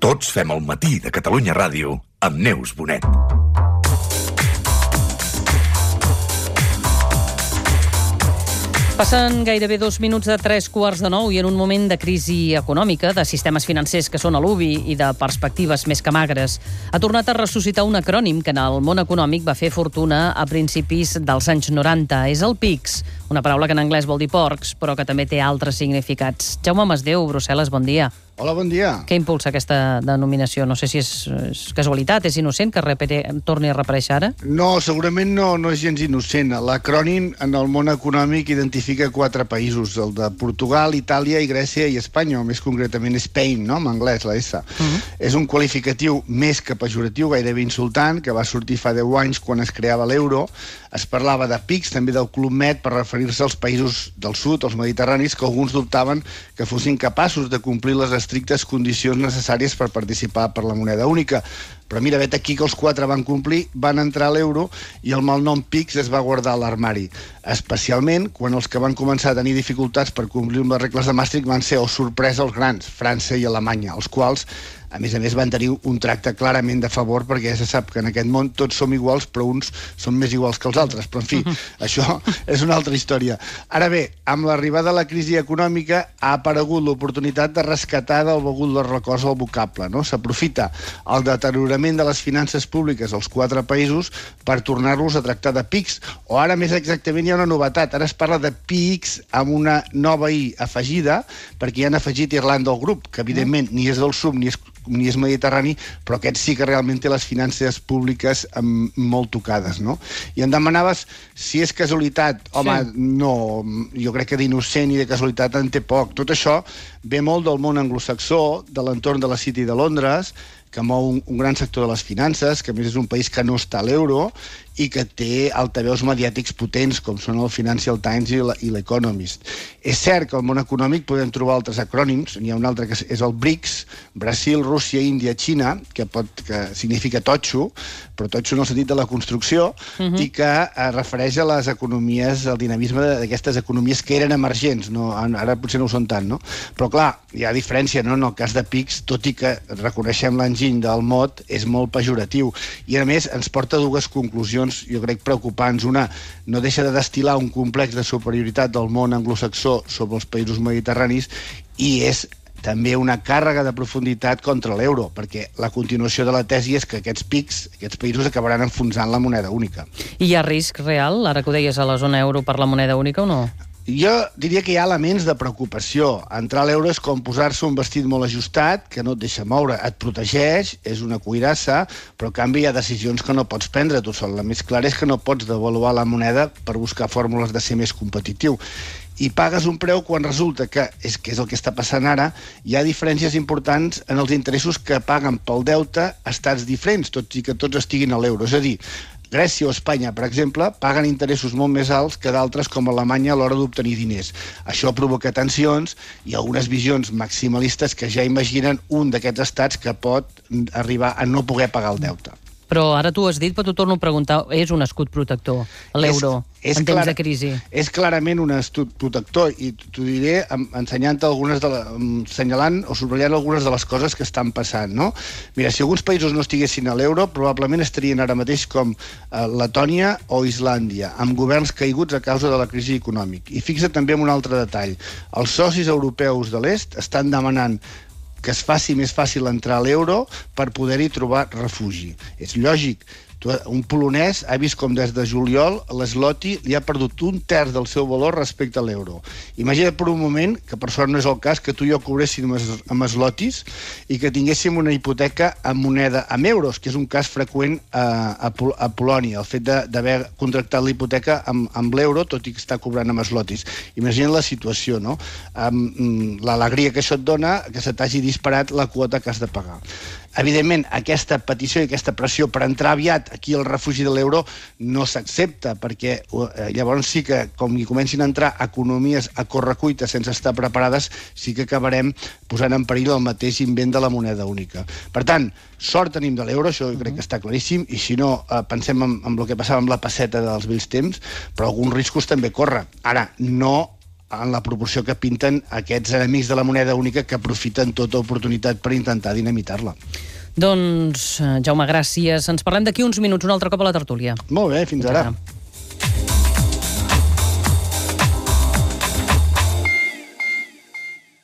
Tots fem el matí de Catalunya Ràdio amb Neus Bonet. Passen gairebé 2 minuts de 3:15 i en un moment de crisi econòmica, de sistemes financers que són a l'ubi i de perspectives més que magres, ha tornat a ressuscitar un acrònim que en el món econòmic va fer fortuna a principis dels anys 90. És el PIGS, una paraula que en anglès vol dir porcs, però que també té altres significats. Jaume Masdeu, Brussel·les, bon dia. Hola, bon dia. Què impulsa aquesta denominació? No sé si és casualitat, és innocent que torni a reaparèixer ara? No, segurament no és gens innocent. L'acrònim en el món econòmic identifica 4 països, el de Portugal, Itàlia i Grècia i Espanya, o més concretament Spain, no?, en anglès, la S. És un qualificatiu més que pejoratiu, gairebé insultant, que va sortir fa 10 anys quan es creava l'euro. Es parlava de PIGS, també del Club Med, per referir-se als països del sud, els mediterranis, que alguns dubtaven que fossin capaços de complir les estrictes condicions necessàries per participar per la moneda única. Però mira, vet aquí que els 4 van complir, van entrar a l'euro i el malnom PIGS es va guardar a l'armari. Especialment quan els que van començar a tenir dificultats per complir amb les regles de Maastricht van ser, oh sorpresa, els grans, França i Alemanya, els quals, a més, van tenir un tracte clarament de favor, perquè ja se sap que en aquest món tots som iguals, però uns són més iguals que els altres. Però, en fi, això és una altra història. Ara bé, amb l'arribada de la crisi econòmica ha aparegut l'oportunitat de rescatar del begut dels records el vocable, no? S'aprofita el deteriorament de les finances públiques als 4 països per tornar-los a tractar de PIGS, o ara més exactament hi ha una novetat, ara es parla de PIGS amb una nova I afegida, perquè hi han afegit Irlanda al grup, que evidentment ni és del sud ni és mediterrani, però aquest sí que realment té les finances públiques molt tocades, no? I em demanaves si és casualitat. Home, sí. No, jo crec que d'innocent i de casualitat en té poc. Tot això ve molt del món anglosaxó, de l'entorn de la City de Londres, que mou un gran sector de les finances, que a més és un país que no està a l'euro i que té altaveus mediàtics potents, com són el Financial Times i l'Economist. És cert que al món econòmic podem trobar altres acrònims. N'hi ha un altre que és el BRICS, Brasil, Rússia, Índia, Xina, que significa totxo, però totxo en el sentit de la construcció, i que es refereix a les economies, al dinamisme d'aquestes economies que eren emergents. No, ara potser no ho són tant, no? Però clar, hi ha diferència, no? En el cas de PIGS, tot i que reconeixem l'enginy del mot, és molt pejoratiu. I a més ens porta a 2 conclusions, jo crec, preocupants. Una, no deixa de destil·lar un complex de superioritat del món anglosaxó sobre els països mediterranis, i és també una càrrega de profunditat contra l'euro, perquè la continuació de la tesi és que aquests PIGS, aquests països, acabaran enfonsant la moneda única. I hi ha risc real, ara que ho deies, a la zona euro per la moneda única o no? Jo diria que hi ha elements de preocupació. Entrar a l'euro és com posar-se un vestit molt ajustat, que no et deixa moure, et protegeix, és una cuirassa, però en canvi hi ha decisions que no pots prendre tu sol. La més clara és que no pots devaluar la moneda per buscar fórmules de ser més competitiu. I pagues un preu quan resulta que és el que està passant ara, hi ha diferències importants en els interessos que paguen pel deute estats diferents, tot i que tots estiguin a l'euro. És a dir, Grècia o Espanya, per exemple, paguen interessos molt més alts que d'altres com Alemanya a l'hora d'obtenir diners. Això provoca tensions i algunes visions maximalistes que ja imaginen un d'aquests estats que pot arribar a no poder pagar el deute. Però ara tu has dit, però t'ho torno a preguntar, és un escut protector, l'euro, en temps de crisi? És clarament un escut protector, i t'ho diré assenyalant o subratllant algunes de les coses que estan passant, no? Mira, si alguns països no estiguessin a l'euro, probablement estarien ara mateix com Letònia o Islàndia, amb governs caiguts a causa de la crisi econòmica. I fixa't també en un altre detall. Els socis europeus de l'est estan demanant que es faci més fàcil entrar a l'euro per poder-hi trobar refugi. És lògic. Un polonès ha vist com des de juliol l'esloti li ha perdut 1/3 del seu valor respecte a l'euro. Imagina't per un moment, que per sort no és el cas, que tu i jo cobréssim amb eslotis i que tinguéssim una hipoteca amb moneda amb euros, que és un cas freqüent a Polònia, el fet d'haver contractat la hipoteca amb l'euro, tot i que està cobrant amb eslotis. Imagina't la situació, no? L'alegria que això et dona, que se t'hagi disparat la quota que has de pagar. Evidentment, aquesta petició i aquesta pressió per entrar aviat aquí al refugi de l'euro no s'accepta, perquè llavors sí que, com hi comencin a entrar economies a correcuita sense estar preparades, sí que acabarem posant en perill el mateix invent de la moneda única. Per tant, sort tenim de l'euro, això crec que està claríssim, i si no, pensem en el que passava amb la pesseta dels vells temps, però alguns riscos també corren. Ara, no en la proporció que pinten aquests enemics de la moneda única que aprofiten tota oportunitat per intentar dinamitar-la. Doncs, Jaume, gràcies. Ens parlem d'aquí uns minuts, un altre cop a la tertúlia. Molt bé, fins ara.